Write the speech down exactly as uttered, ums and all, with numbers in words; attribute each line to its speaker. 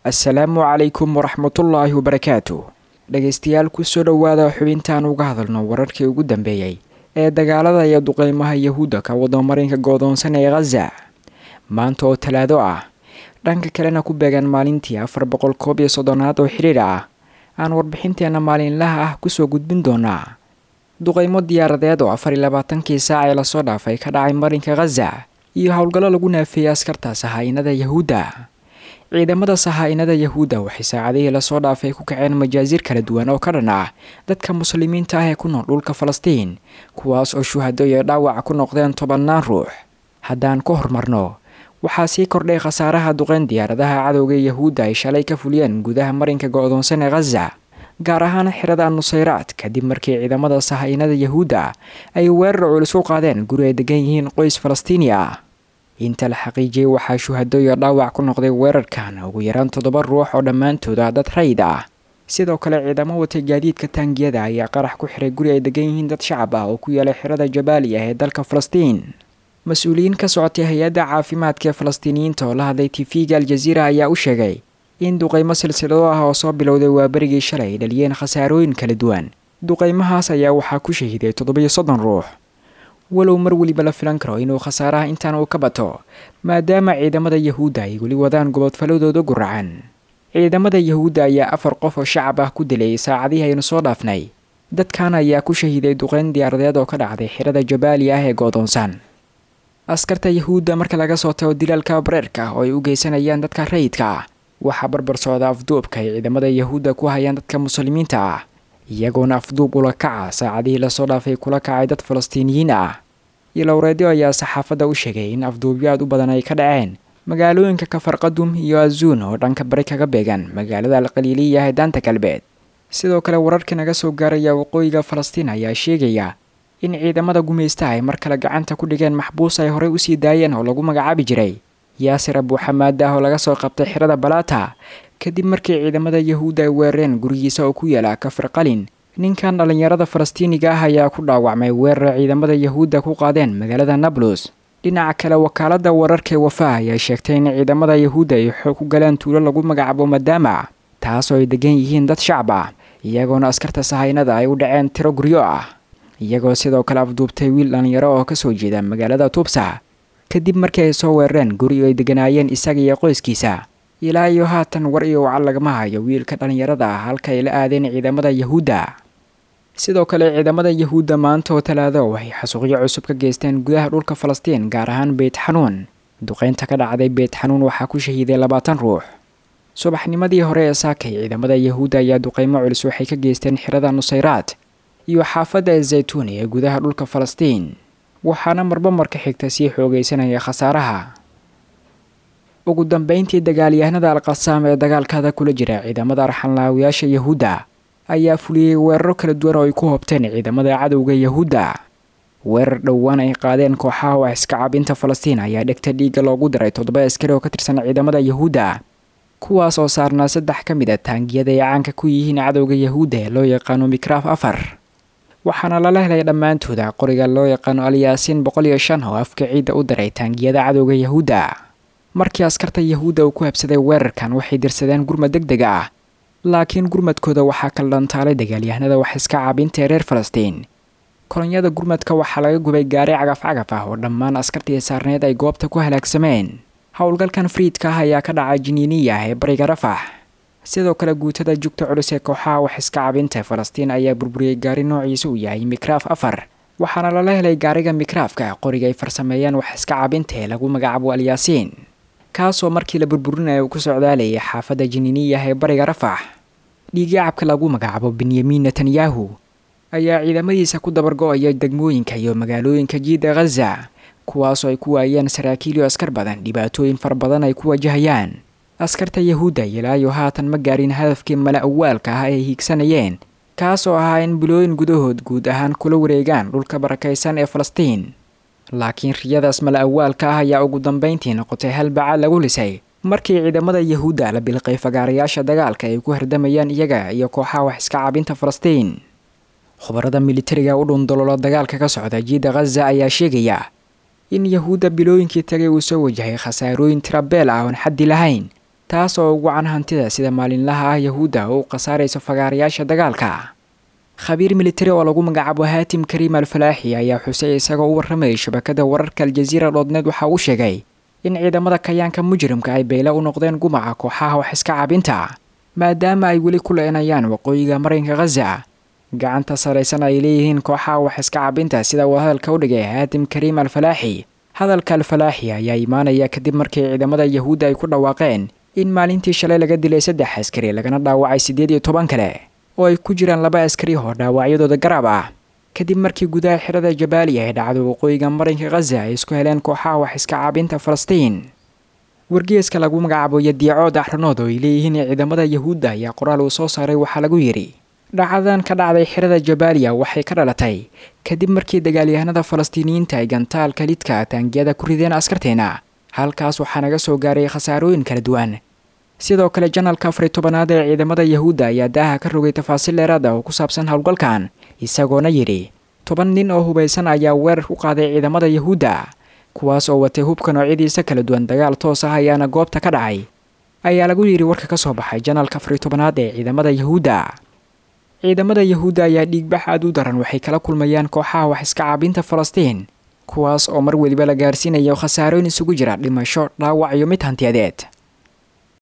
Speaker 1: Assalaamu calaykum waraxmatullaahi wabarakaatu. Dhegaystayaal, kusoo dhowaada xubintaan uga hadalno wararkii ugu dambeeyey ee dagaalada iyo duqeymaha Yahuudda ka wada marinka goodoonsan ee Khaza. Maanta oo Talaado ah, dhanka kalena ku beegan maalintii afar boqol koob iyo soddonaad oo xiriir ah, aan warbixinteena maalinlaha ah kusoo gudbin doonaa duqeymo diyaaradeed oo afar iyo labaatankii saac ee lasoo dhaafay ka dhacay marinka Khaza iyo howlgallo lagu naafeeyey askarta sahaa'inada Yahuudda. Ciidamada sahaa'inada Yahuudda waxay saacadihii lasoo dhaafay ku kaceen majaasiir kala duwan oo ka dhan ah dadka muslimiinta ah ee ku nool dhulka Falastiin, kuwaas oo shuhado iyo dhaawac ku noqdeen tobannaan ruux. Haddaan ku horumarno, waxaa sii kordhay khasaaraha duqeyn diyaaradaha cadowga Yahuudda ay shalay ka fuliyeen gudaha marinka go'doonsan ee Khaza, gaar ahaan xirada Nusayraad, kadib markii ciidamada sahaa'inada Yahuudda ay weerar culus u qaadeen guri ay degan yihiin qoys Falastiini ah. Inta la xaqiijiyey, waxaa shuhado iyo dhaawac ku noqday weerarkan ugu yaraan toddoba ruux oo dhammaantood ah dad rayid ah. Sidoo kale, ciidamo watay gaadiidka taangiyada ayaa qarax ku xiray guri ay degan yihiin dad shacab ah oo ku yaalay xirada Jabaaliya ee dalka Falastiin. Mas-uuliyiin ka socotay hay-adda caafimaadka ee Falastiiniyiinta oo la hadlay T V-ga Aljaziira ayaa u sheegay in duqeymo silsilado ah oo soo bilowday waaberigii shalay ay dhaliyeen khasaarooyin kala duwan. Duqeymahaas ayaa waxaa ku shahiiday toddobiyo soddon ruux, walow mar weliba la filan karo inuu khasaaraha intaan uu ka bato, maadaama ciidamada Yahuudda ay weli wadaan gobodfaladooda guracan. Ciidamada Yahuudda ayaa afar qof oo shacab ah ku dilay saacadihii aynu soo dhaafnay. Dadkan ayaa ku shahiiday duqeyn diyaaradeed oo ka dhacday xirada Jabaaliya ah ee goodoonsan. Askarta Yahuudda, marka laga soo tago dilaalka bareerka oo ay u geysanayaan dadka rayidka ah, waxaa barbar socda afduubka ay ciidamada Yahuudda ku hayaan dadka muslimiinta ah, iyagoona afduub ula kaca saacadihii lasoo dhaafay kula kacay dad Falastiiniyiin ah. Ilowreedyo ayaa saxaafadda u sheegay in afduubyo aad u badan ay ka dhaceen magaalooyinka Kafarqadum iyo Azuun oo dhanka bari kaga beegan magaalada Alqaliiliya ee Daanta Galbeed. Sidoo kale, wararka naga soo gaaraya waqooyiga Falastiin ayaa sheegaya in ciidamada gumaystaha ay mar kale gacanta ku dhigeen maxbuus ay horey usii daayeen oo lagu magacaabi jiray Yaasir Abuuxamaad ah oo laga soo qabtay xirada Balaata, kadib markii ciidamada Yahuudda ay weerareen gurigiisa oo ku yaala Kafar Qalin. Ninkan dhallinyarada Falastiiniga ah ayaa ku dhaawacmay weerar ciidamada Yahuudda ku qaadeen magaalada Nablus. Dhinaca kale, wakaaladda wararka ee Wafaa ayaa sheegtay in ciidamada Yahuudda ay xoog ku galeen tuulo lagu magacaabo Madaama, taasoo ay degan yihiin dad shacab ah, iyagoona askarta sahaynada ay u dhaceen tiro guryo ah, iyagoo sidoo kale afduubtay wiil dhallinyaro oo kasoo jeeda magaalada Tubsa, kadib markii ay soo weerareen guri ay deganaayeen isaga iyo qoyskiisa. Ilaa iyo haatan war iyo wacal lagama hayo wiilka dhallinyarada ah halka ay la aadeen ciidamada Yahuudda. Sidoo kale, ciidamada Yahuudda maanta oo Talaado waxay xasuuqyo cusub ka geysteen gudaha dhulka Falastiin, gaar ahaan Beyt Xanuun. Duqeynta ka dhacday Beyt Xanuun waxaa ku shahiiday labaatan ruux. Subaxnimadii hore ee saakay, ciidamada Yahuudda ayaa duqeymo culus waxay ka geysteen xirada Nusayraad iyo xaafadda Zaytuun ee gudaha dhulka Falastiin, waxaana marba marka xigta sii xoogaysanaya khasaaraha. Ugu dambeyntii, dagaalyahanada Alqasaam ee dagaalkada kula jira ciidamada arxanlaawiyaasha Yahuudda ayaa fuliyey weeraro kala duwan oo ay ku hobteen ciidamada cadowga Yahuudda. Weerar dhowaan ay qaadeen kooxaha wax iska cabinta Falastiin ayaa dhegta dhiigga loogu daray toddoba askari oo ka tirsan ciidamada Yahuudda, kuwaas oo saarnaa saddex ka mid a taangiyada ay caanka ku yihiin cadowga Yahuudda ee loo yaqaano Mikraaf afar, waxaana lala helay dhammaantooda qoriga loo yaqaano Alyaasiin boqol iyo shan oo afka ciidda u daray taangiyada cadowga Yahuudda. Markii askarta Yahuudda uu ku habsaday weerarkan, waxay dirsadeen gurmad deg deg ah, laakiin gurmadkooda waxaa kala dhantaalay dagaalyahanada wax iska caabinta ee reer Falastiin. Kolonyada gurmadka waxaa laga gubay gaari cagaf cagaf ah oo dhammaan askartii saarneed ay goobta ku halaagsameen. Howlgalkan friidka ah ayaa ka dhacay Jiniiniya ee bariga Rafax. Sidoo kale, guutada jugta culus ee kooxaha wax iska cabinta Falastiin ayaa burburiyey gaari noociisa uu yahay Mikraaf afar, waxaana lala helay gaariga Mikraafka qoriga ay farsameeyeen wax iska cabinta ee lagu magacaabo Alyaasiin, kaasoo markii la burburinaya uu ku socdaalayay xaafadda Jiniiniyah ee bariga Rafax. Dhiigyacabka lagu magacaabo Benyamin Netanyahu ayaa ciidamadiisa ku dabargo-aya degmooyinka iyo magaalooyinka jiida Khaza, kuwaasoo ay ku waayeen saraakiil iyo askar badan, dhibaatooyin fara badan ay ku wajahayaan. Askarta Yahuudda ilaa iyo haatan ma gaarin hadafkii mala awaalka ah ay hiigsanayeen, kaasoo ahaa in bilooyin gudahood guud ahaan kula wareegaan dhulka barakaysan ee Falastiin. Laakiin riyadaas mala awaalka ah ayaa ugu dambeyntii noqotay hal bacaad lagu lisay markii ciidamada Yahuudda la bilqay fagaarayaasha dagaalka ay ku hardamayaan iyaga iyo kooxaha wax iska cabinta Falastiin. Khubarada militariga u dhundalola dagaalka ka socda jiida Khaza ayaa sheegaya in Yahuudda bilooyinkii tagay uu soo wajahay khasaarooyin tirabeel ah oon xaddi lahayn. Taas oo ugu wacan hantida sida maalinlaha ah Yahuudda oo u khasaarayso fagaarayaasha dagaalka. Khabiir militari oo lagu magacaabo Haatim Kariim Al-Falaaxi ayaa xusay isagoo u warramayay shabakada wararka Aljaziira dhoodneed waxa uu sheegay in ciidamada kayaanka mujrimka ay beyle u noqdeen gumaca kooxaha wax iska caabinta, maadaama ay weli ku leenayaan waqooyiga marinka Ghaza. Gacanta saraysan ay leeyihiin kooxaha wax iska caabinta, sida uu hadalka u dhigay Haatim Kariim Al-Falaaxi. Hadalka Al-Falaaxi ayaa imaanaya kadib markii ciidamada Yahuudda ay ku dhawaaqeen in maalintii shalay laga dilay saddex askari lagana dhaawacay siddeed iyo toban kale oo ay ku jiraan laba askari oo dhaawacyadooda garaab ah, kadib markii gudaha xirada Jabaaliya ee dhacdo waqooyiga marinka Ghaza ay isku heleen kooxaha wax iska caabinta Falastiin. Wargeeska lagu magacaabo Yadiicood Axranood oo ay leeyihiin ciidamada Yahuudda ayaa qoraal uu soo saaray waxaa lagu yidhi: dhacdadan ka dhacday xirada Jabaaliya waxay ka dhalatay kadib markii dagaalyahanada Falastiiniyiinta ay gantaalka lidka taangiyada ku rideen askarteena, halkaas waxaa naga soo gaaray khasaarooyin kala duwan. Sidoo kale janalka afar iyo tobanaad ee ciidamada Yahuudda ayaa daaha ka rogay tafaasiil dheeraad ah oo ku saabsan howlgalkan, isagoona yidhi: toban nin oo hubaysan ayaa weerar ku qaaday ciidamada Yahuudda, kuwaas oo watay hubka noocyadiisa kala duwan, dagaal toos ah ayaana goobta ka dhacay, ayaa lagu yidhi warka ka soo baxay janalka afar iyo tobanaad ee ciidamada Yahuudda. Ciidamada Yahuudda ayaa dhiigbax aad u daran waxay kala kulmayaan kooxaha wax iska caabinta Falastiin, kuwaas oo mar weliba la gaarsiinayo khasaarooyin isugu jira dhimasho, dhaawac iyo mid hantiyadeed.